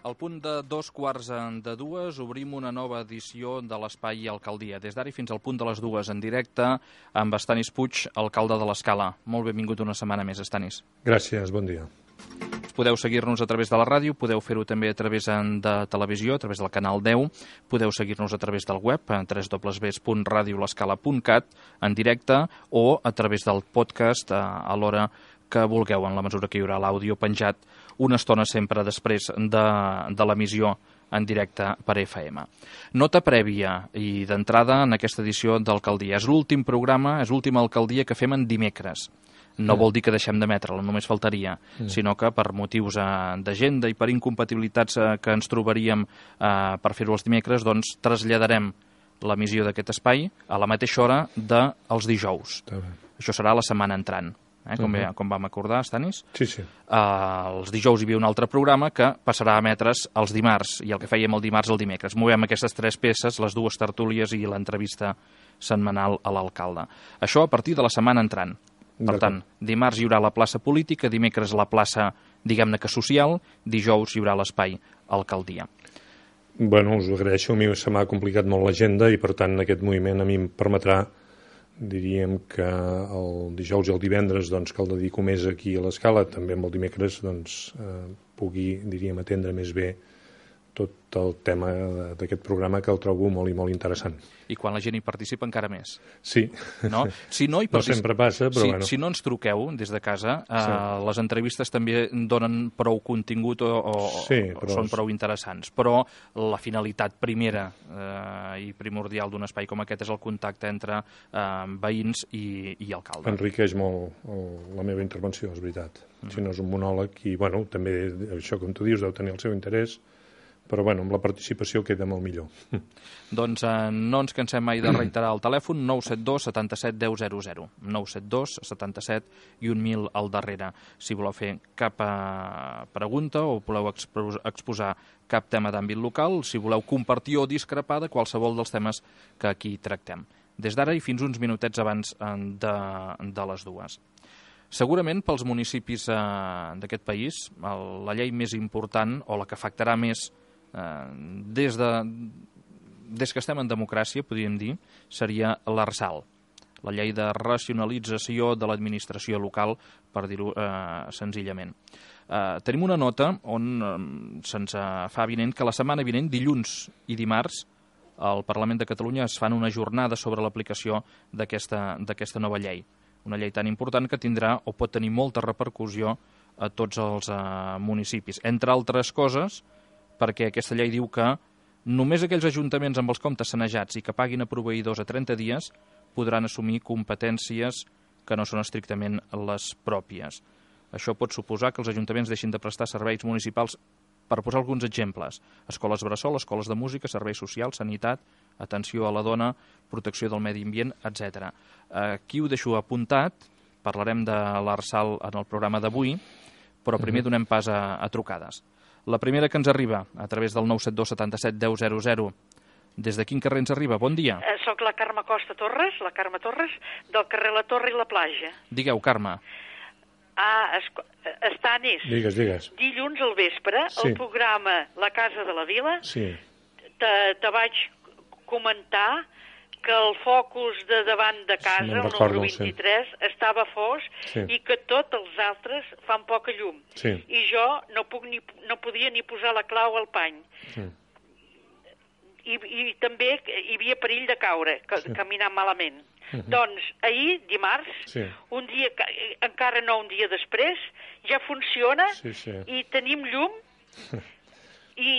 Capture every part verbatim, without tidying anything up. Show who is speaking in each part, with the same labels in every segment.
Speaker 1: Al punt de dos quarts de dues obrim una nova edició de l'Espai Alcaldia. Des d'ara fins al punt de les dues en directe amb Estanis Puig, alcalde de l'Escala. Molt benvingut una setmana més, Estanis.
Speaker 2: Gràcies, bon dia.
Speaker 1: Podeu seguir-nos a través de la ràdio, podeu fer-ho també a través de televisió, a través del canal deu, podeu seguir-nos a través del web, a w w w punt radio l'escala punt cat, en directe, o a través del podcast a, a l'hora que vulgueu, en la mesura que hi haurà l'àudio penjat una estona sempre després de, de l'emissió en directe per F M. Nota prèvia i d'entrada en aquesta edició d'Alcaldia. És l'últim programa, és l'última Alcaldia que fem en dimecres. No mm. vol dir que deixem d'emetre-la, només faltaria, mm. sinó que per motius eh, d'agenda i per incompatibilitats eh, que ens trobaríem eh, per fer-ho els dimecres, doncs traslladarem l'emissió d'aquest espai a la mateixa hora dels dijous. Això serà la setmana entrant. Eh, com, uh-huh. com vam acordar, Estanis?
Speaker 2: Sí, sí.
Speaker 1: Uh, els dijous hi havia un altre programa que passarà a emetre's els dimarts, i el que fèiem el dimarts el dimecres. Movem aquestes tres peces, les dues tertúlies i l'entrevista setmanal a l'alcalde. Això a partir de la setmana entrant. Per tant, dimarts hi haurà la plaça política, dimecres la plaça, diguem-ne que social, dijous hi haurà l'espai alcaldia.
Speaker 2: Bueno, us ho agraeixo, a mi se m'ha complicat molt l'agenda i per tant aquest moviment a mi em permetrà, diríem que el dijous i el divendres doncs, que el dedico més aquí a l'Escala, també amb el dimecres doncs, eh, pugui, diríem, atendre més bé tot el tema d'aquest programa que el trobo molt i molt interessant.
Speaker 1: I quan la gent hi participa encara més.
Speaker 2: Sí.
Speaker 1: No, si no, hi
Speaker 2: particip... no sempre passa, però
Speaker 1: si,
Speaker 2: bueno.
Speaker 1: Si no ens truqueu des de casa, eh,
Speaker 2: sí.
Speaker 1: les entrevistes també donen prou contingut o, o,
Speaker 2: sí, però...
Speaker 1: o són prou interessants. Però la finalitat primera eh, i primordial d'un espai com aquest és el contacte entre eh, veïns i, i alcalde.
Speaker 2: Enriqueix molt el, la meva intervenció, és veritat. Mm. Si no és un monòleg i, bueno, també això, com tu dius, deu tenir el seu interès, però bueno, amb la participació queda molt millor.
Speaker 1: Doncs eh, no ens cansem mai de reiterar el telèfon nou set dos setanta-set deu zero zero, nou set dos setanta-set i un mil al darrere. Si voleu fer cap eh, pregunta o voleu exposar cap tema d'àmbit local, si voleu compartir o discrepar de qualsevol dels temes que aquí tractem. Des d'ara i fins uns minutets abans de, de les dues. Segurament pels municipis eh, d'aquest país, la llei més important o la que afectarà més eh, des, de, des que estem en democràcia, podríem dir, seria l'Arsal, la llei de racionalització de l'administració local, per dir-ho eh, senzillament. Eh, tenim una nota on eh, se'ns fa avinent que la setmana vinent, dilluns i dimarts, al Parlament de Catalunya es fan una jornada sobre l'aplicació d'aquesta d'aquesta nova llei. Una llei tan important que tindrà o pot tenir molta repercussió a tots els eh, municipis. Entre altres coses, perquè aquesta llei diu que només aquells ajuntaments amb els comptes sanejats i que paguin a proveïdors a trenta dies podran assumir competències que no són estrictament les pròpies. Això pot suposar que els ajuntaments deixin de prestar serveis municipals, per posar alguns exemples: escoles bressol, escoles de música, serveis socials, sanitat, atenció a la dona, protecció del medi ambient, etcètera. Aquí ho deixo apuntat, parlarem de l'Arsal en el programa d'avui, però primer donem pas a, a trucades. La primera que ens arriba, a través del nou set dos setanta-set deu zero zero. Des de quin carrer ens arriba? Bon dia.
Speaker 3: Eh, soc la Carme Costa Torres, la Carme Torres, del carrer La Torre i la Plaja.
Speaker 1: Digueu, Carme.
Speaker 3: Ah, Estanis.
Speaker 2: Digues, digues.
Speaker 3: Dilluns al vespre, sí. El programa La Casa de la Vila,
Speaker 2: sí.
Speaker 3: te, te vaig comentar que el focus de davant de casa, el número vint-i-tres, sí. estava fos, sí. I que tots els altres fan poca llum.
Speaker 2: Sí.
Speaker 3: I jo no, puc ni, no podia ni posar la clau al pany.
Speaker 2: Sí.
Speaker 3: I, I també hi havia perill de caure, que, sí. Caminar malament. Uh -huh. Doncs ahir, dimarts,
Speaker 2: sí.
Speaker 3: un dia, encara no un dia després, ja funciona,
Speaker 2: sí, sí.
Speaker 3: I tenim llum i,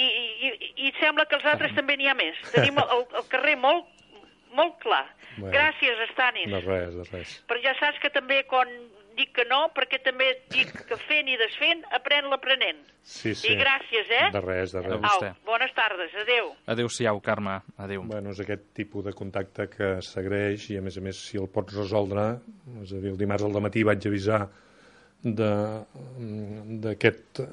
Speaker 3: i, i sembla que els altres ah. també n'hi ha més. Tenim el, el carrer molt, molt clar.
Speaker 2: Bueno,
Speaker 3: gràcies, Estanis.
Speaker 2: De res, de res.
Speaker 3: Però ja saps que també quan dic que no, perquè també dic que fent i desfent, aprèn l'aprenent.
Speaker 2: Sí, sí.
Speaker 3: I gràcies, eh?
Speaker 2: De res, de res.
Speaker 3: Au, bones tardes, adeu.
Speaker 1: Adéu-siau, Carme, adéu.
Speaker 2: Bueno, és aquest tipus de contacte que s'agraeix i, a més a més, si el pots resoldre, és a dir, el dimarts al dematí vaig avisar d'aquesta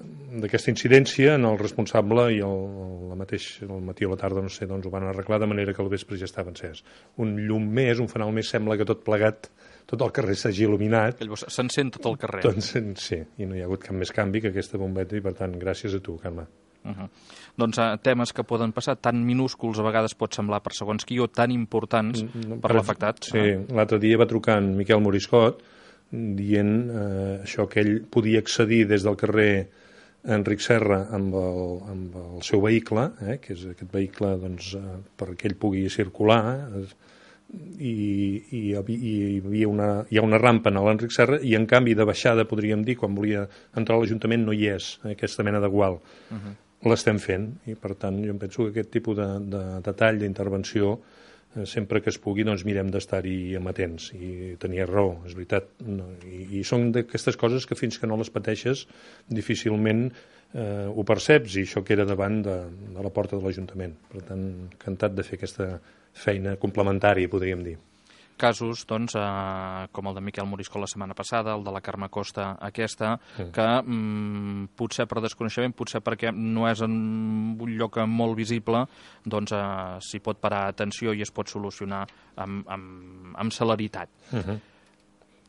Speaker 2: aquest, incidència en el responsable i el, el mateix, el matí o la tarda, no sé, doncs ho van arreglar de manera que al vespre ja estava encès. Un llum més, un fanal més, sembla que tot plegat, tot el carrer s'hagi il·luminat.
Speaker 1: S'encén tot el carrer.
Speaker 2: Doncs sí, i no hi ha hagut cap més canvi que aquesta bombeta i per tant, gràcies a tu, Carme.
Speaker 1: Uh -huh. Doncs uh, temes que poden passar tan minúsculs, a vegades pot semblar per segons qui, o tan importants mm, per, per l'afectat.
Speaker 2: Sí, ah. L'altre dia va trucar en Miquel Moriscot dient eh, això, que ell podia accedir des del carrer Enric Serra amb el, amb el seu vehicle, eh, que és aquest vehicle doncs, eh, perquè ell pugui circular, eh, i, i, i hi havia una, hi ha una rampa en l'Enric Serra i en canvi de baixada, podríem dir, quan volia entrar a l'Ajuntament no hi és, eh, aquesta mena de gual. Uh -huh. L'estem fent i per tant jo em penso que aquest tipus de, de detall, d'intervenció, eh, sempre que es pugui doncs mirem d'estar-hi amatents, i tenia raó, és veritat, no, i, i són d'aquestes coses que fins que no les pateixes difícilment eh, ho perceps, i això que era davant de, de la porta de l'Ajuntament. Per tant, encantat de fer aquesta feina complementària, podríem dir.
Speaker 1: Casos, doncs, eh, com el de Miquel Moriscot la setmana passada, el de la Carme Costa aquesta, mm. que mm, potser per desconeixement, potser perquè no és en un lloc molt visible, doncs eh, s'hi pot parar atenció i es pot solucionar amb, amb, amb celeritat. Mm -hmm.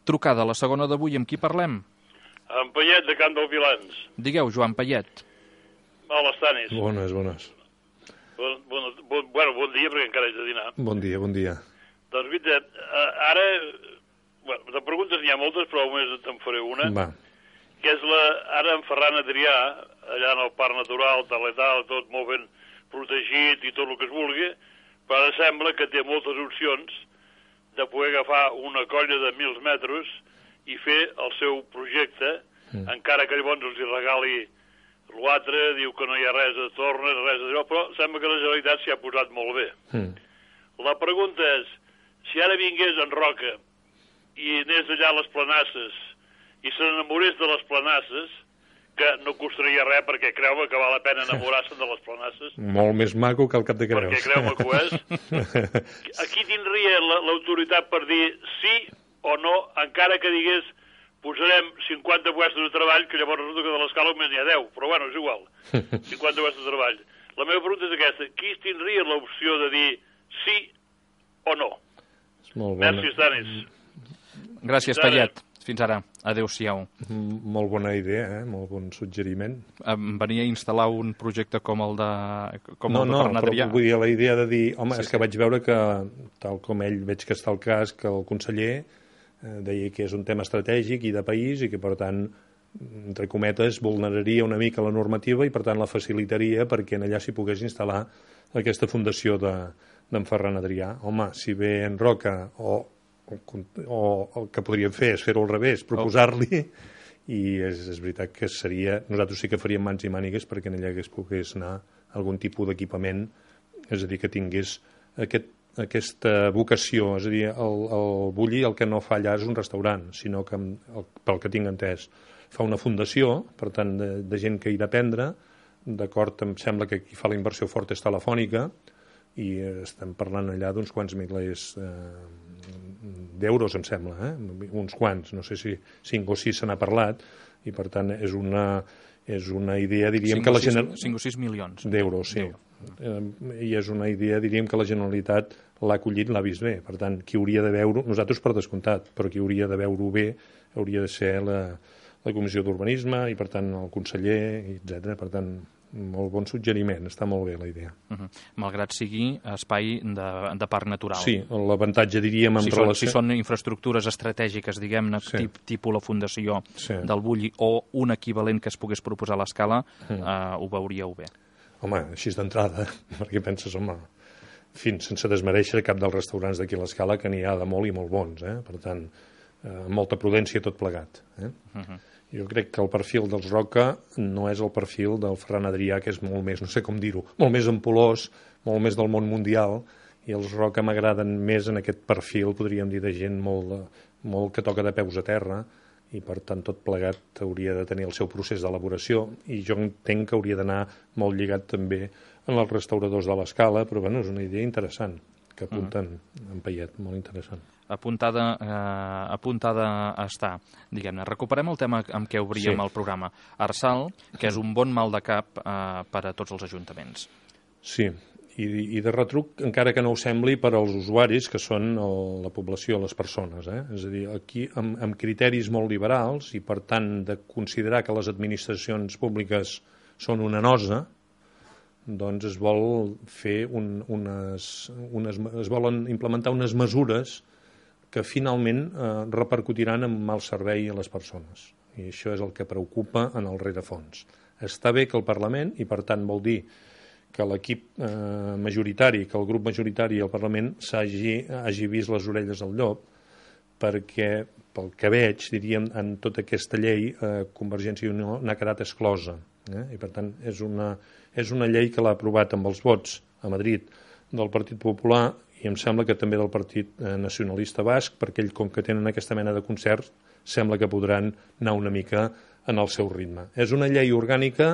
Speaker 1: Trucada, la segona d'avui, amb qui parlem?
Speaker 4: En Payet, de Camp dels Vilans.
Speaker 1: Digueu, Joan Payet.
Speaker 4: Hola, Stanis.
Speaker 2: Bones, bones.
Speaker 4: Bon, bon, bon, bueno, bon dia, perquè encara haig de dinar.
Speaker 2: Bon dia, bon dia.
Speaker 4: Doncs, veritat, ara, bueno, de preguntes n'hi ha moltes, però només te'n faré una.
Speaker 2: Va.
Speaker 4: Que és la, ara en Ferran Adrià, allà en el Parc Natural, tal i tal, tot molt ben protegit i tot el que es vulgui, però ara sembla que té moltes opcions de poder agafar una colla de mil metres i fer el seu projecte, mm. encara que llavors els hi regali l'altre, diu que no hi ha res de torna, res de... però sembla que la Generalitat s'hi ha posat molt bé. Mm. La pregunta és, si ara vingués en Roca i anés allà a les Planasses i se n'enamorés de les Planasses, que no costaria res perquè creu-me que val la pena enamorar-se de les Planasses.
Speaker 2: Molt més maco que el Cap de Creus.
Speaker 4: Perquè creu-me que ho és. Aquí tindria l'autoritat per dir sí o no, encara que digués posarem cinquanta puestos de treball, que llavors resulta que de l'escala només n'hi ha deu, però bueno, és igual. cinquanta puestos de treball. La meva pregunta és aquesta, qui tindria l'opció de dir sí o no?
Speaker 2: Molt bona.
Speaker 4: Merci, Stanis.
Speaker 1: Gràcies, Payet. Fins ara. Adéu-siau.
Speaker 2: Molt bona idea, eh? Molt bon suggeriment.
Speaker 1: Em venia a instal·lar un projecte com el de com
Speaker 2: no,
Speaker 1: el de
Speaker 2: no,
Speaker 1: Ferran Adrià.
Speaker 2: No, però vull dir la idea de dir, home, sí, és que sí. Vaig veure que, tal com ell veig que està el cas, que el conseller eh, deia que és un tema estratègic i de país i que, per tant, entre cometes, vulneraria una mica la normativa i, per tant, la facilitaria perquè en allà s'hi pogués instal·lar aquesta fundació de, d'en Ferran Adrià. Home, si ve en Roca o o el que podríem fer és fer-ho al revés, proposar-li, i és, és veritat que seria... Nosaltres sí que faríem mans i mànigues perquè en allà hagués pogués anar algun tipus d'equipament, és a dir, que tingués aquest, aquesta vocació, és a dir, el, el Bulli el que no fa allà és un restaurant, sinó que, el, pel que tinc entès, fa una fundació, per tant, de, de gent que hi ha d'aprendre, d'acord, em sembla que qui fa la inversió forta és Telefònica, i estem parlant allà d'uns quants milers eh, d'euros, em sembla, eh? uns quants, no sé si cinc o sis se n'ha parlat, i per tant és una, és una idea, diríem que la Generalitat...
Speaker 1: cinc o sis milions.
Speaker 2: D'euros, sí. Eh, I és una idea, diríem que la Generalitat l'ha acollit, l'ha vist bé. Per tant, qui hauria de veure, nosaltres per descomptat, però qui hauria de veure-ho bé hauria de ser la, la Comissió d'Urbanisme i, per tant, el conseller, etcètera. Per tant, molt bon suggeriment, està molt bé la idea.
Speaker 1: Uh -huh. Malgrat sigui espai de, de parc natural.
Speaker 2: Sí, l'avantatge, diríem, en
Speaker 1: si
Speaker 2: relació...
Speaker 1: Són, si són infraestructures estratègiques, diguem-ne, sí. tip, tipus la fundació sí. del Bulli, o un equivalent que es pogués proposar a l'escala, uh -huh. eh, ho veuríeu bé.
Speaker 2: Home, així d'entrada, perquè penses, home, fins sense desmereixer cap dels restaurants d'aquí a l'escala, que n'hi ha de molt i molt bons, eh? Per tant, eh, molta prudència tot plegat, eh? Uh -huh. Jo crec que el perfil dels Roca no és el perfil del Ferran Adrià, que és molt més, no sé com dir-ho, molt més ampulós, molt més del món mundial, i els Roca m'agraden més en aquest perfil, podríem dir, de gent molt, molt que toca de peus a terra, i per tant tot plegat hauria de tenir el seu procés d'elaboració, i jo entenc que hauria d'anar molt lligat també en els restauradors de l'escala, però bueno, és una idea interessant que apunten mm. en Payet, molt interessant.
Speaker 1: Apuntada, eh, apuntada està, diguem-ne. Recuperem el tema amb què obríem sí. el programa. Arsal, que és un bon mal de cap eh, per a tots els ajuntaments.
Speaker 2: Sí, i, i de retruc, encara que no ho sembli, per als usuaris, que són el, la població, les persones. Eh? És a dir, aquí amb, amb criteris molt liberals, i per tant de considerar que les administracions públiques són una nosa, doncs es vol fer un, unes, unes, es volen implementar unes mesures que finalment eh, repercutiran en mal servei a les persones. I això és el que preocupa en el rerefons. Està bé que el Parlament, i per tant vol dir que l'equip eh, majoritari, que el grup majoritari al Parlament s'hagi hagi vist les orelles al llop, perquè, pel que veig, diríem, en tota aquesta llei, eh, Convergència i Unió n'ha quedat exclosa. Eh? I per tant, és una, és una llei que l'ha aprovat amb els vots a Madrid del Partit Popular i em sembla que també del Partit Nacionalista Basc, perquè ells, com que tenen aquesta mena de concert, sembla que podran anar una mica en el seu ritme. És una llei orgànica,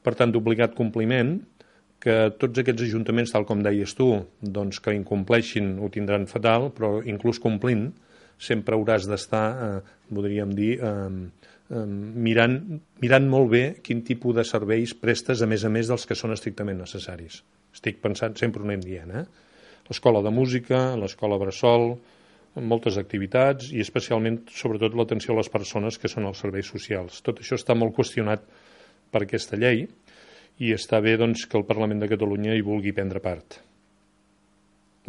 Speaker 2: per tant, d'obligat compliment, que tots aquests ajuntaments, tal com deies tu, doncs que incompleixin ho tindran fatal, però inclús complint, sempre hauràs d'estar, eh, podríem dir, eh, eh, mirant, mirant molt bé quin tipus de serveis prestes, a més a més dels que són estrictament necessaris. Estic pensant, sempre ho anem dient, eh? L'escola de música, l'escola bressol, moltes activitats i especialment, sobretot, l'atenció a les persones que són els serveis socials. Tot això està molt qüestionat per aquesta llei i està bé doncs, que el Parlament de Catalunya hi vulgui prendre part.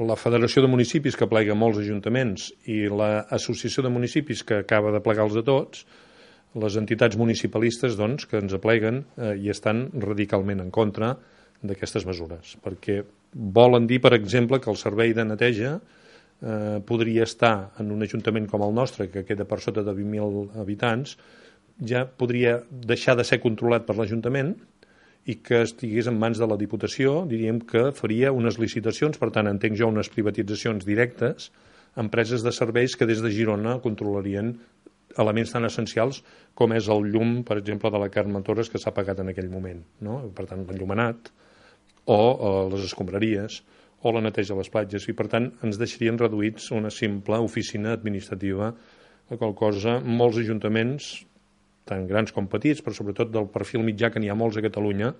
Speaker 2: La Federació de Municipis, que plega molts ajuntaments, i l'Associació de Municipis, que acaba de plegar-los a tots, les entitats municipalistes doncs, que ens apleguen eh, i estan radicalment en contra d'aquestes mesures, perquè volen dir, per exemple, que el servei de neteja eh, podria estar en un ajuntament com el nostre, que queda per sota de vint mil habitants, ja podria deixar de ser controlat per l'Ajuntament i que estigués en mans de la Diputació, diríem que faria unes licitacions, per tant, entenc jo unes privatitzacions directes, empreses de serveis que des de Girona controlarien elements tan essencials com és el llum, per exemple, de la Carme Torres, que s'ha pagat en aquell moment, no? Per tant, l'enllumenat, o eh, les escombraries, o la neteja a les platges, i per tant ens deixarien reduïts una simple oficina administrativa, la qual cosa molts ajuntaments, tant grans com petits, però sobretot del perfil mitjà, que n'hi ha molts a Catalunya,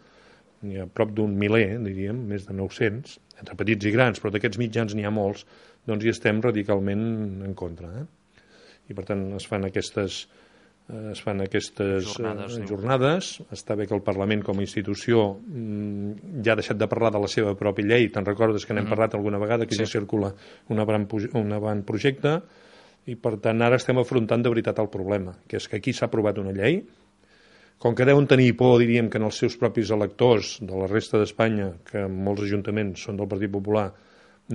Speaker 2: n'hi ha prop d'un miler, diríem, més de nou-cents, entre petits i grans, però d'aquests mitjans n'hi ha molts, doncs hi estem radicalment en contra. Eh? I per tant es fan aquestes, eh, es fan aquestes jornades, eh, jornades. Està bé que el Parlament com a institució mm, ja ha deixat de parlar de la seva pròpia llei, te'n recordes que n'hem mm-hmm. parlat alguna vegada, que sí. Ja circula un avantprojecte, i per tant ara estem afrontant de veritat el problema, que és que aquí s'ha aprovat una llei, com que deuen tenir por, diríem, que en els seus propis electors de la resta d'Espanya, que molts ajuntaments són del Partit Popular,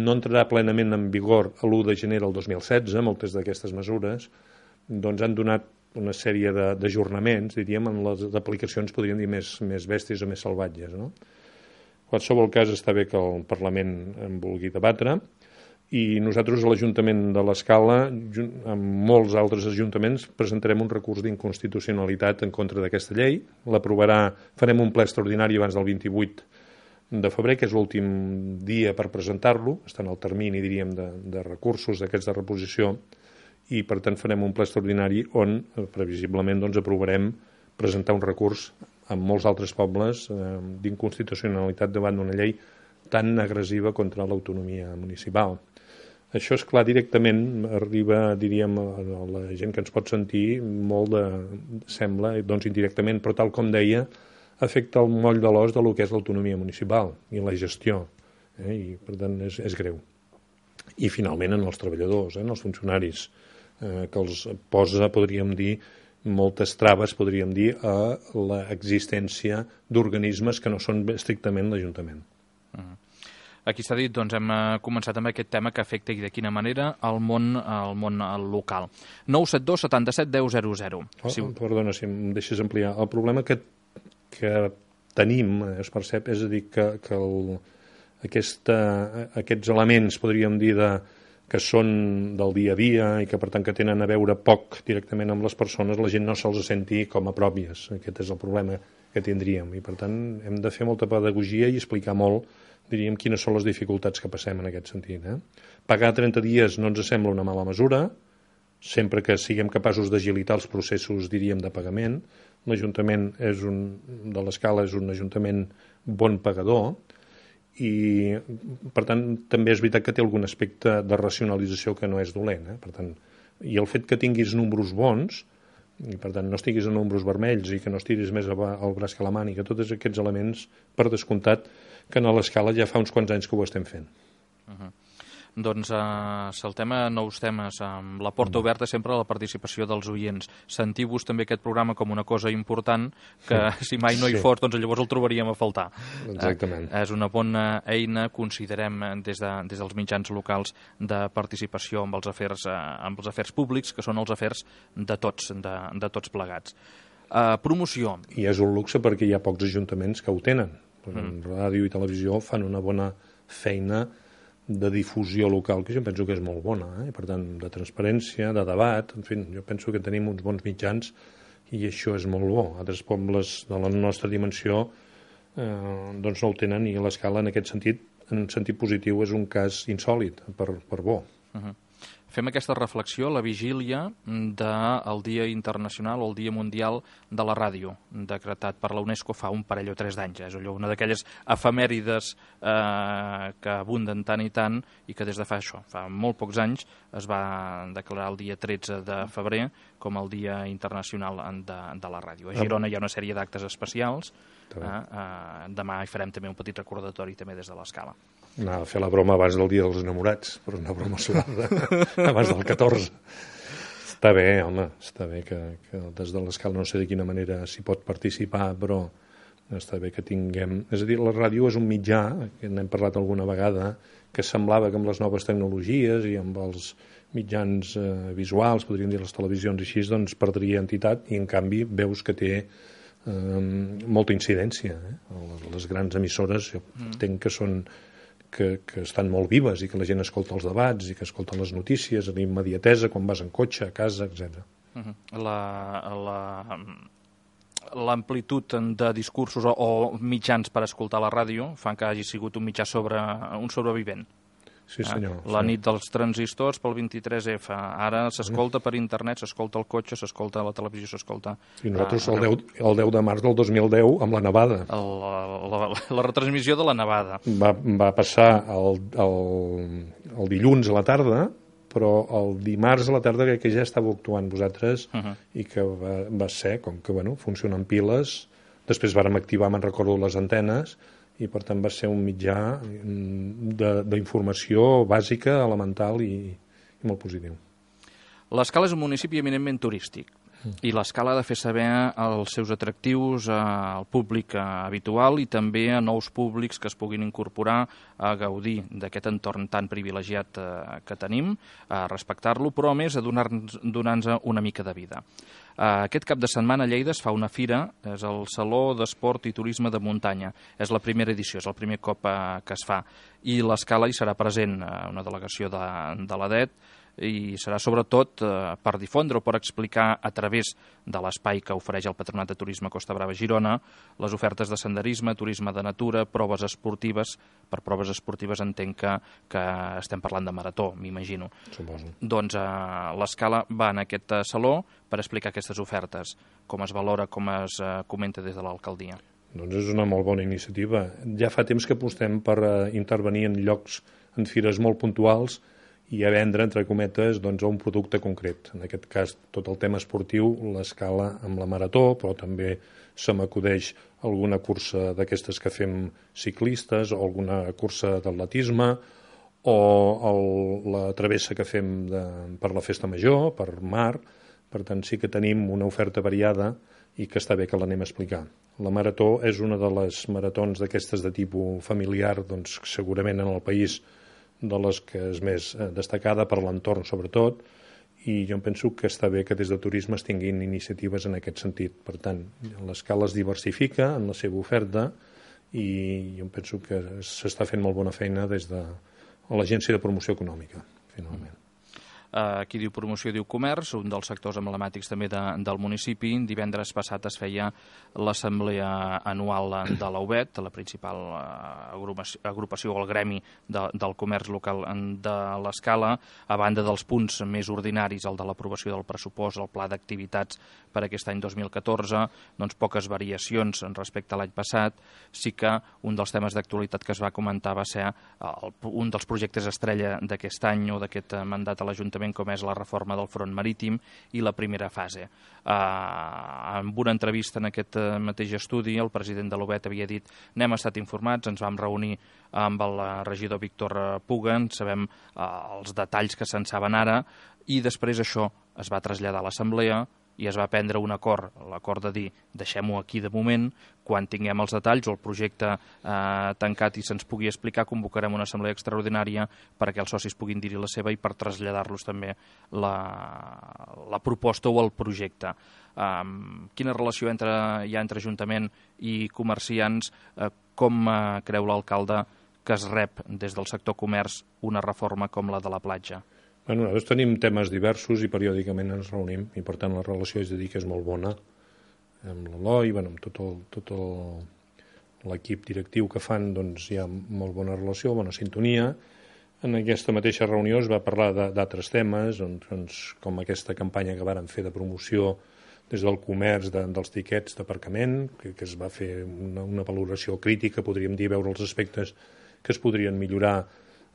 Speaker 2: no entrarà plenament en vigor a l'u de gener del dos mil setze, moltes d'aquestes mesures, doncs han donat una sèrie d'ajornaments, diríem, en les aplicacions, podríem dir, més, més bèsties o més salvatges. No? En qualsevol cas, està bé que el Parlament en vulgui debatre, i nosaltres a l'Ajuntament de l'Escala, amb molts altres ajuntaments, presentarem un recurs d'inconstitucionalitat en contra d'aquesta llei. L'aprovarà, farem un ple extraordinari abans del vint-i-vuit de febrer, que és l'últim dia per presentar-lo, està en el termini, diríem, de, de recursos d'aquests de reposició, i per tant farem un ple extraordinari on, previsiblement, doncs, aprovarem presentar un recurs amb molts altres pobles eh, d'inconstitucionalitat davant d'una llei tan agressiva contra l'autonomia municipal. Això, és clar, directament arriba, diríem, a la gent que ens pot sentir molt de, sembla, doncs indirectament, però tal com deia, afecta el moll de l'os de lo que és l'autonomia municipal i la gestió, eh? I per tant és, és greu. I finalment en els treballadors, eh? En els funcionaris, eh, que els posa, podríem dir, moltes traves, podríem dir, a l'existència d'organismes que no són estrictament l'Ajuntament.
Speaker 1: Uh-huh. Aquí s'ha dit, doncs hem començat amb aquest tema que afecta i de quina manera el món, el món local. nou set dos setanta set deu zero zero.
Speaker 2: Oh, si... Perdona, si em deixes ampliar. El problema que, que tenim, es percep, és a dir, que, que el, aquesta, aquests elements, podríem dir, de, que són del dia a dia i que, per tant, que tenen a veure poc directament amb les persones, la gent no se'ls senti com a pròpies. Aquest és el problema que tindríem. I, per tant, hem de fer molta pedagogia i explicar molt, diríem, quines són les dificultats que passem en aquest sentit. Eh? Pagar trenta dies no ens sembla una mala mesura, sempre que siguem capaços d'agilitar els processos, diríem, de pagament. L'Ajuntament és un, de l'Escala és un ajuntament bon pagador i, per tant, també és veritat que té algun aspecte de racionalització que no és dolent. Eh? Per tant, i el fet que tinguis números bons i per tant no estiguis en números vermells i que no estiris més el braç que la màniga, tots aquests elements, per descomptat, que a l'Escala ja fa uns quants anys que ho estem fent.
Speaker 1: Uh-huh. Doncs uh, saltem a nous temes, amb la porta oberta sempre a la participació dels oients. Sentiu-vos també aquest programa com una cosa important, que si mai no hi sí. fos, doncs llavors el trobaríem a faltar.
Speaker 2: Exactament.
Speaker 1: Uh, és una bona eina, considerem, des, de, des dels mitjans locals de participació amb els afers, uh, amb els afers públics, que són els afers de tots, de, de tots plegats. Uh, promoció.
Speaker 2: I és un luxe perquè hi ha pocs ajuntaments que ho tenen. Mm. Ràdio i televisió fan una bona feina de difusió local, que jo penso que és molt bona, eh? Per tant, de transparència, de debat, en fi, jo penso que tenim uns bons mitjans i això és molt bo. Altres pobles de la nostra dimensió eh, doncs no ho tenen i l'Escala en aquest sentit, en sentit positiu, és un cas insòlit per, per bo.
Speaker 1: Uh-huh. Fem aquesta reflexió a la vigília del Dia Internacional o el Dia Mundial de la Ràdio, decretat per la UNESCO fa un parell o tres d'anys. És allò, una d'aquelles efemèrides eh, que abunden tant i tant i que des de fa això, fa molt pocs anys, es va declarar el dia tretze de febrer com el Dia Internacional de, de la Ràdio. A Girona hi ha una sèrie d'actes especials. Eh, eh, demà hi farem també un petit recordatori també des de l'Escala.
Speaker 2: Anava a fer la broma abans del Dia dels Enamorats, però una broma suada, abans del catorze. Està bé, home, està bé que, que des de l'Escala no sé de quina manera s'hi pot participar, però està bé que tinguem... És a dir, la ràdio és un mitjà, que n'hem parlat alguna vegada, que semblava que amb les noves tecnologies i amb els mitjans eh, visuals, podríem dir les televisions i així, doncs perdria entitat, i en canvi veus que té eh, molta incidència. Eh? Les grans emissores, jo entenc que són... Que, que estan molt vives i que la gent escolta els debats i que escolta les notícies, la immediatesa quan vas en cotxe, a casa, etcètera.
Speaker 1: Uh-huh. La, la, l'amplitud de discursos o, o mitjans per escoltar la ràdio fan que hagi sigut un mitjà sobre un sobrevivent.
Speaker 2: Sí, senyor.
Speaker 1: Eh? La
Speaker 2: sí.
Speaker 1: nit dels transistors pel vint-i-tres efa. Ara s'escolta per internet, s'escolta al cotxe, s'escolta a la televisió, s'escolta...
Speaker 2: I nosaltres el, deu, el deu de març del dos mil deu amb la nevada.
Speaker 1: El, la, la, la retransmissió de la nevada.
Speaker 2: Va, va passar el, el, el dilluns a la tarda, però el dimarts a la tarda crec que ja estàveu actuant vosaltres uh-huh. i que va, va ser, com que bueno, funcionen piles, després vàrem activar, me'n recordo, les antenes, i per tant va ser un mitjà d'informació bàsica, elemental i, i molt positiu.
Speaker 1: L'Escala és un municipi eminentment turístic i l'Escala ha de fer saber els seus atractius al públic habitual i també a nous públics que es puguin incorporar a gaudir d'aquest entorn tan privilegiat que tenim, a respectar-lo, però a més a donar-nos donar-nos una mica de vida. Aquest cap de setmana a Lleida es fa una fira, és el Saló d'Esport i Turisme de Muntanya. És la primera edició, és el primer cop que es fa. I l'Escala hi serà present, una delegació de, de l'A D E T, i serà sobretot eh, per difondre o per explicar a través de l'espai que ofereix el Patronat de Turisme Costa Brava Girona les ofertes de senderisme, turisme de natura, proves esportives. Per proves esportives entenc que, que estem parlant de marató, m'imagino.
Speaker 2: Suposo.
Speaker 1: Doncs eh, l'Escala va en aquest saló per explicar aquestes ofertes, com es valora, com es eh, comenta des de l'alcaldia.
Speaker 2: Doncs és una molt bona iniciativa. Ja fa temps que apostem per eh, intervenir en llocs, en fires molt puntuals, i a vendre, entre cometes, doncs, un producte concret. En aquest cas, tot el tema esportiu, l'Escala amb la marató, però també se m'acudeix alguna cursa d'aquestes que fem ciclistes, o alguna cursa d'atletisme, o el, la travessa que fem de, per la festa major, per mar. Per tant, sí que tenim una oferta variada i que està bé que l'anem a explicar. La marató és una de les maratons d'aquestes de tipus familiar, doncs, segurament en el país de les que és més destacada per l'entorn sobretot, i jo penso que està bé que des de turisme es tinguin iniciatives en aquest sentit. Per tant, l'Escala es diversifica en la seva oferta i jo penso que s'està fent molt bona feina des de l'Agència de Promoció Econòmica, finalment.
Speaker 1: Uh, qui diu promoció diu comerç, un dels sectors emblemàtics també de, del municipi. Divendres passat es feia l'assemblea anual de l'A U B E T, la principal uh, agrupació, agrupació o el gremi de, del comerç local de l'Escala. A banda dels punts més ordinaris, el de l'aprovació del pressupost, el pla d'activitats per aquest any dos mil catorze, doncs poques variacions respecte a l'any passat. Sí que un dels temes d'actualitat que es va comentar va ser el, un dels projectes estrella d'aquest any o d'aquest mandat a l'Ajuntament l'Ajuntament, com és la reforma del front marítim i la primera fase. En una entrevista en aquest mateix estudi, el president de l'U B E T havia dit: n'hem estat informats, ens vam reunir amb el regidor Víctor Puga, en sabem els detalls que se'n saben ara, i després això es va traslladar a l'Assemblea i es va prendre un acord, l'acord de dir deixem-ho aquí de moment, quan tinguem els detalls o el projecte eh, tancat i se'ns pugui explicar, convocarem una assemblea extraordinària perquè els socis puguin dir-hi la seva i per traslladar-los també la, la proposta o el projecte. Um, quina relació entre, hi ha entre Ajuntament i comerciants? Uh, com uh, creu l'alcalde que es rep des del sector comerç una reforma com la de la platja?
Speaker 2: Bueno, nosaltres tenim temes diversos i periòdicament ens reunim i per tant la relació és de dir que és molt bona amb l'Eloi, bueno, amb tot el, tot el, l'equip directiu que fan, doncs hi ha molt bona relació, bona sintonia. En aquesta mateixa reunió es va parlar d'altres temes, doncs, com aquesta campanya que varen fer de promoció des del comerç de, dels tiquets d'aparcament, que, que es va fer una, una valoració crítica, podríem dir, veure els aspectes que es podrien millorar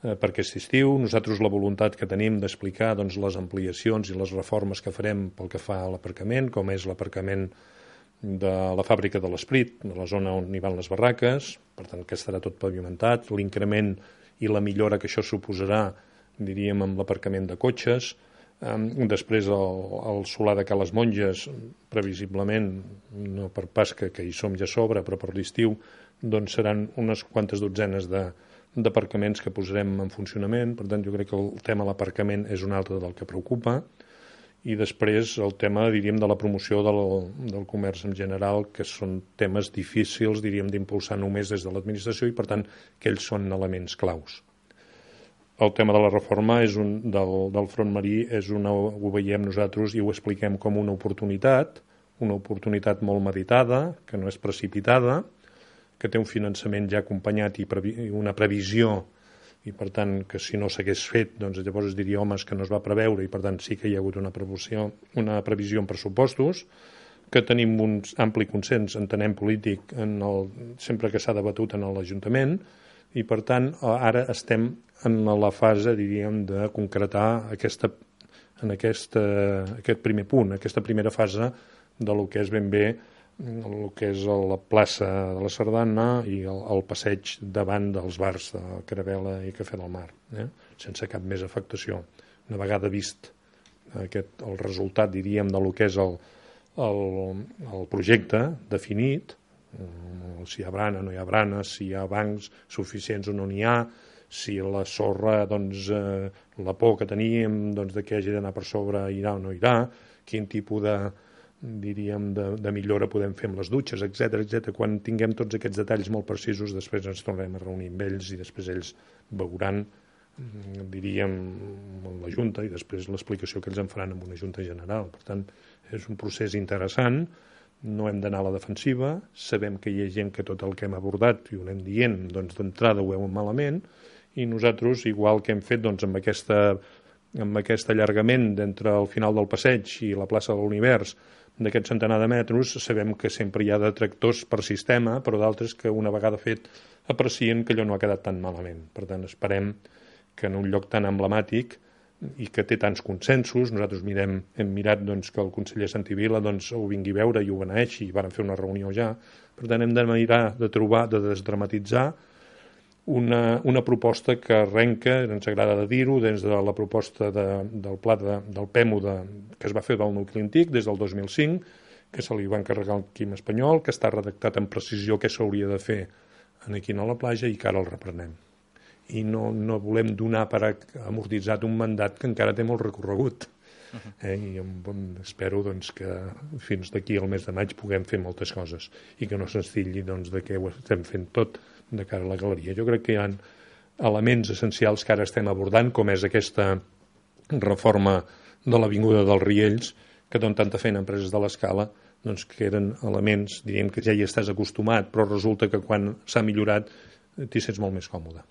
Speaker 2: per aquest estiu. Nosaltres la voluntat que tenim d'explicar doncs, les ampliacions i les reformes que farem pel que fa a l'aparcament, com és l'aparcament de la fàbrica de l'Esprit, de la zona on hi van les barraques, per tant que estarà tot pavimentat, l'increment i la millora que això suposarà, diríem, amb l'aparcament de cotxes. Després el, el solar de Cales Monges, previsiblement, no per pas que, que hi som ja a sobre, però per l'estiu, doncs seran unes quantes dotzenes de d'aparcaments que posarem en funcionament. Per tant, jo crec que el tema de l'aparcament és un altre del que preocupa, i després el tema, diríem, de la promoció del, del comerç en general, que són temes difícils, diríem, d'impulsar només des de l'administració, i per tant que ells són elements claus. El tema de la reforma és un, del, del front marí és una, ho veiem nosaltres i ho expliquem com una oportunitat, una oportunitat molt meditada, que no és precipitada, que té un finançament ja acompanyat i previ, una previsió, i per tant que si no s'hagués fet, doncs llavors es diria homes que no es va preveure, i per tant sí que hi ha hagut una previsió, una previsió en pressupostos, que tenim un ampli consens, entenem, polític en el, sempre que s'ha debatut en l'Ajuntament, i per tant ara estem en la fase, diríem, de concretar aquesta, en aquesta, aquest primer punt, aquesta primera fase de lo que és ben bé el que és la plaça de la Sardana i el, el passeig davant dels bars de Caravela i Cafè del Mar, eh? sense cap més afectació. Una vegada vist aquest, el resultat, diríem, de lo que és el, el, el projecte definit, si hi ha brana, no hi ha brana, si hi ha bancs suficients o no n'hi ha, si la sorra, doncs, eh, la por que teníem doncs, de que hagi d'anar per sobre irà o no irà, quin tipus de diríem, de, de millora podem fer amb les dutxes, etcètera, etcètera. Quan tinguem tots aquests detalls molt precisos, després ens tornarem a reunir amb ells i després ells veuran, diríem, amb la Junta i després l'explicació que ells en faran amb una Junta General. Per tant, és un procés interessant, no hem d'anar a la defensiva, sabem que hi ha gent que tot el que hem abordat i ho anem dient, doncs d'entrada ho veuen malament, i nosaltres, igual que hem fet doncs, amb, aquesta, amb aquest allargament d'entre el final del passeig i la plaça de l'Univers, d'aquest centenar de metres, sabem que sempre hi ha detractors per sistema, però d'altres que una vegada fet aprecien que allò no ha quedat tan malament. Per tant, esperem que en un lloc tan emblemàtic i que té tants consensos, nosaltres mirem, hem mirat doncs, que el conseller Santivila doncs, ho vingui a veure i ho beneeixi, i van fer una reunió ja. Per tant, hem de mirar de trobar, de desdramatitzar una, una proposta que arrenca, ens agrada de dir-ho, des de la proposta de, del pla de, del P E M U de, que es va fer del nucli antic des del dos mil cinc, que se li va encarregar al Quim Espanyol, que està redactat en precisió què s'hauria de fer aquí a la platja i que ara el reprenem. I no, no volem donar per amortitzat un mandat que encara té molt recorregut. Eh? I espero doncs, que fins d'aquí al mes de maig puguem fer moltes coses i que no se'ns tilli doncs, de que ho estem fent tot de cara a la galeria. Jo crec que hi ha elements essencials que ara estem abordant, com és aquesta reforma de l'Avinguda dels Riells, que donen tanta feina a empreses de l'escala, doncs que eren elements, diríem que ja hi estàs acostumat, però resulta que quan s'ha millorat t'hi sents molt més còmode.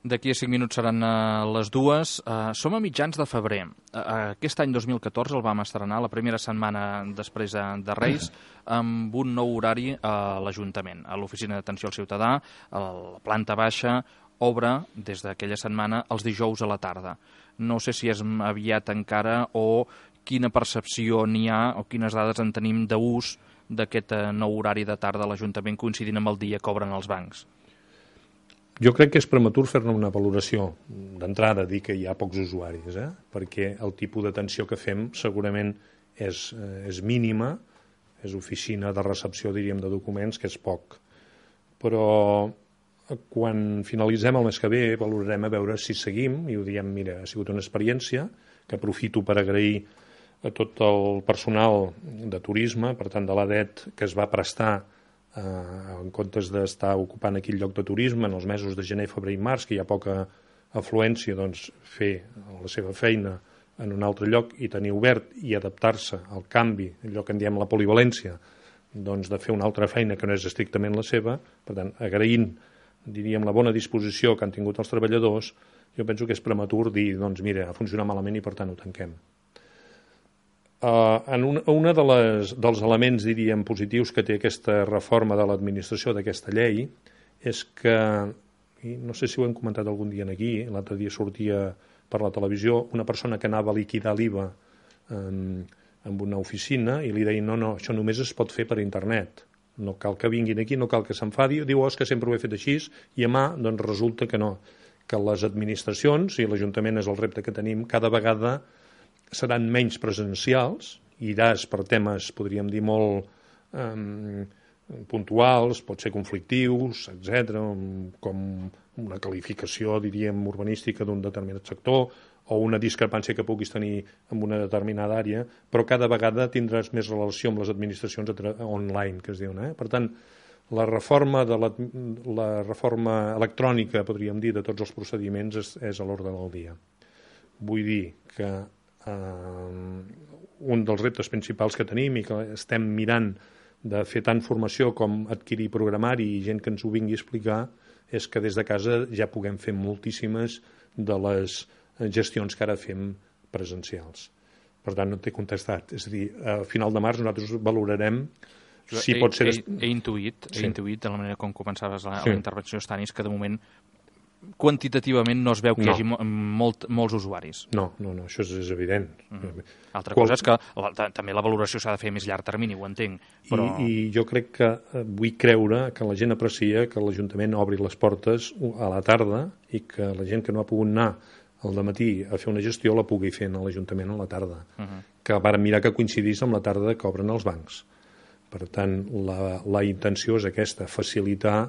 Speaker 1: D'aquí a cinc minuts seran uh, les dues. Uh, som a mitjans de febrer. Uh, aquest any dos mil catorze el vam estrenar, la primera setmana després de, de Reis, amb un nou horari a l'Ajuntament. A l'Oficina d'Atenció al Ciutadà, a la planta baixa, obre des d'aquella setmana els dijous a la tarda. no sé si és aviat encara o quina percepció n'hi ha o quines dades en tenim d'ús d'aquest nou horari de tarda a l'Ajuntament coincidint amb el dia que obren els bancs.
Speaker 2: Jo crec que és prematur fer-ne una valoració d'entrada, dir que hi ha pocs usuaris, eh? perquè el tipus d'atenció que fem segurament és, eh, és mínima, és oficina de recepció, diríem, de documents, que és poc. Però quan finalitzem el mes que ve valorarem a veure si seguim i ho diem, mira, ha sigut una experiència que aprofito per agrair a tot el personal de turisme, per tant de l'A D E T, que es va prestar eh, en comptes d'estar ocupant aquell lloc de turisme en els mesos de gener, febrer i març, que hi ha poca afluència, doncs fer la seva feina en un altre lloc i tenir obert i adaptar-se al canvi, allò que en diem la polivalència, doncs de fer una altra feina que no és estrictament la seva. Per tant, agraint, diríem, la bona disposició que han tingut els treballadors, jo penso que és prematur dir, doncs mira, ha funcionat malament i per tant ho tanquem. Uh, en un una de les, dels elements, diríem, positius que té aquesta reforma de l'administració d'aquesta llei és que, i no sé si ho hem comentat algun dia aquí, l'altre dia sortia per la televisió una persona que anava a liquidar l'I V A um, en una oficina i li deien no, no, això només es pot fer per internet, no cal que vinguin aquí, no cal que s'enfadi, diu, oh, és que sempre ho he fet així, i a mà, doncs resulta que no, que les administracions, i l'Ajuntament és el repte que tenim, cada vegada seran menys presencials, iràs per temes, podríem dir, molt eh, puntuals, pot ser conflictius, etcètera, com una qualificació, diríem, urbanística d'un determinat sector, o una discrepància que puguis tenir en una determinada àrea, però cada vegada tindràs més relació amb les administracions online, que es diuen. Eh? Per tant, la reforma, de la, la reforma electrònica, podríem dir, de tots els procediments és, és a l'ordre del dia. Vull dir que eh, un dels reptes principals que tenim i que estem mirant de fer tant formació com adquirir programari i gent que ens ho vingui a explicar és que des de casa ja puguem fer moltíssimes de les gestions que ara fem presencials. Per tant, no t'he contestat. És a dir, a final de març nosaltres valorarem si
Speaker 1: he,
Speaker 2: pot ser...
Speaker 1: He, he intuït, he sí. intuït, de la manera com començaves la, sí. la intervenció, Stanis, que de moment quantitativament no es veu que no. hi hagi molt, molts usuaris.
Speaker 2: No, no, no, això és, és evident.
Speaker 1: Mm. Altra Qual... cosa és que la, també la valoració s'ha de fer a més llarg termini, ho entenc. Però...
Speaker 2: I, I jo crec que vull creure que la gent aprecia que l'Ajuntament obri les portes a la tarda i que la gent que no ha pogut anar al dematí a fer una gestió la pugui fer a l'Ajuntament a la tarda. Uh-huh. Que vàrem mirar que coincidís amb la tarda que obren els bancs. Per tant, la, la intenció és aquesta, facilitar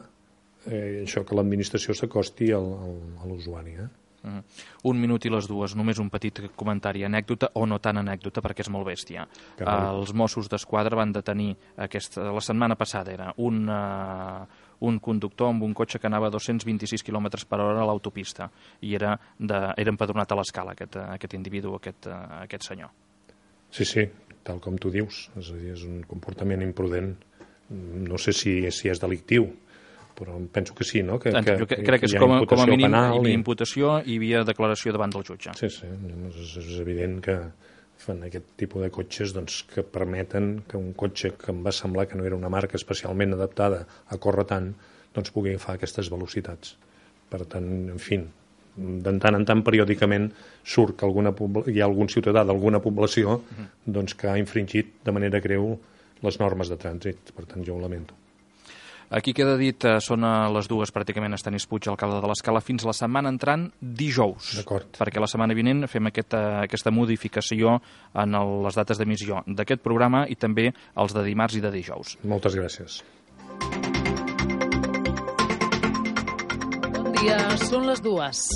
Speaker 2: eh, això que l'administració s'acosti al, al, a l'usuari. Eh?
Speaker 1: Uh-huh. Un minut i les dues, només un petit comentari, anècdota o no tan anècdota perquè és molt bèstia. Uh, els Mossos d'Esquadra van detenir aquesta, la setmana passada era un, uh, un conductor amb un cotxe que anava a dos-cents vint-i-sis quilòmetres per hora a l'autopista i era, de, era empadronat a l'escala aquest, aquest individu, aquest, uh, aquest senyor.
Speaker 2: Sí, sí, tal com tu dius, és a dir, és un comportament imprudent, no sé si, si és delictiu, però penso que sí, no? Que,
Speaker 1: que,
Speaker 2: que,
Speaker 1: crec que, que és com, com a mínim penal, hi havia imputació i hi havia declaració davant del jutge.
Speaker 2: Sí, sí, és, és evident que fan aquest tipus de cotxes doncs, que permeten que un cotxe que em va semblar que no era una marca especialment adaptada a córrer tant, doncs pugui agafar aquestes velocitats. Per tant, en fi, de tant en tant periòdicament surt que alguna, hi ha algun ciutadà d'alguna població doncs, que ha infringit de manera greu les normes de trànsit. Per tant, jo ho lamento.
Speaker 1: Aquí queda dit, eh, són les dues pràcticament, Stanis Puig, alcalde de l'Escala, fins la setmana entrant dijous.
Speaker 2: D'acord.
Speaker 1: Perquè la setmana vinent fem aquesta, aquesta modificació en el, les dates d'emissió d'aquest programa i també els de dimarts i de dijous.
Speaker 2: Moltes gràcies.
Speaker 5: Bon dia, són les dues.